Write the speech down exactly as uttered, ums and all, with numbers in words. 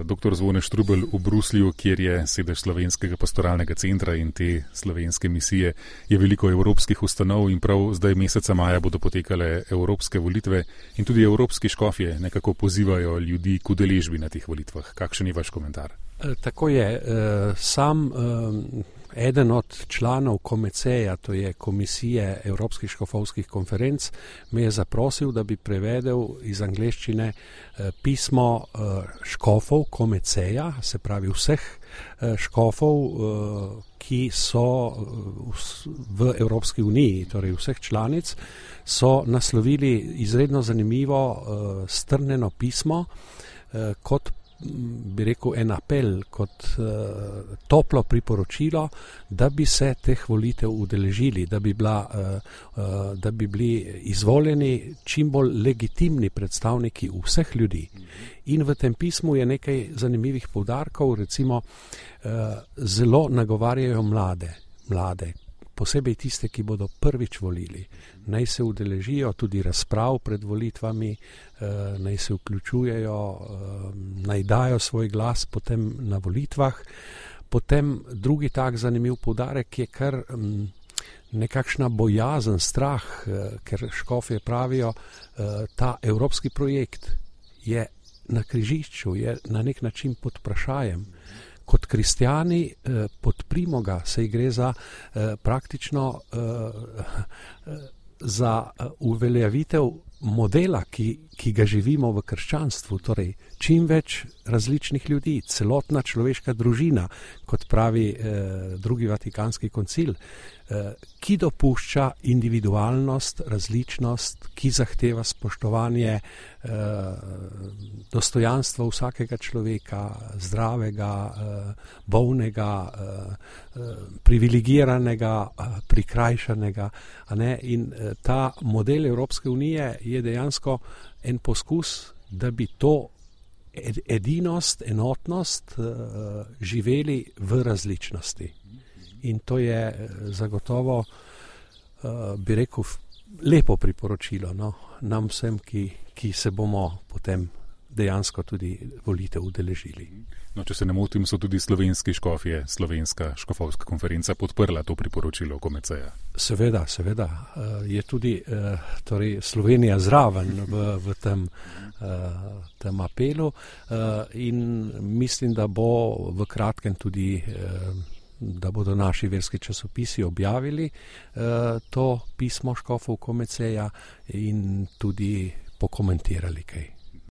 doktor Zvone Štrukelj v Bruslju, kjer je sedež Slovenskega pastoralnega centra in te slovenske misije, je veliko evropskih ustanov in prav zdaj meseca maja bodo potekale evropske volitve in tudi evropski škofje nekako pozivajo ljudi k udeležbi na teh volitvah. Kakšen je vaš komentar? Tako je. Sam eden od članov Komeceja, to je Komisije Evropskih škofovskih konferenc, me je zaprosil, da bi prevedel iz angleščine pismo škofov Komeceja, se pravi vseh škofov, ki so v Evropski uniji, torej vseh članic, so naslovili izredno zanimivo strnjeno pismo kot bi rekel en apel, kot uh, toplo priporočilo, da bi se teh volitev udeležili, da bi, bila, uh, uh, da bi bili izvoljeni čim bolj legitimni predstavniki vseh ljudi. In v tem pismu je nekaj zanimivih poudarkov, recimo uh, zelo nagovarjajo mlade, mlade, posebej tiste, ki bodo prvič volili. Naj se udeležijo tudi razprav pred volitvami, naj se vključujejo, naj dajo svoj glas potem na volitvah. Potem drugi tak zanimiv poudarek je kar nekakšna bojazen, strah, ker škofje pravijo, ta evropski projekt je na križišču, je na nek način pod vprašajem. Kot kristjani eh, podprimo ga, saj gre za eh, praktično eh, za uveljavitev modela, ki, ki ga živimo v krščanstvu, torej čim več različnih ljudi, celotna človeška družina, kot pravi eh, drugi vatikanski koncil, eh, ki dopušča individualnost, različnost, ki zahteva spoštovanje eh, dostojanstva vsakega človeka, zdravega, eh, bolnega, eh, privilegiranega, eh, prikrajšanega. A ne? In eh, ta model Evropske unije je dejansko en poskus, da bi to edinost, enotnost uh, živeli v različnosti. In to je zagotovo, uh, bi rekel, lepo priporočilo, no, nam vsem, ki, ki se bomo potem dejansko tudi volitev udeležili. No, če se ne motim, so tudi slovenski škofje, Slovenska škofovska konferenca podprla to priporočilo Komeceja. Seveda, seveda. Je tudi torej Slovenija zraven v, v tem, tem apelu in mislim, da bo v kratkem tudi, da bodo naši verski časopisi objavili to pismo škofov Komeceja in tudi pokomentirali kaj.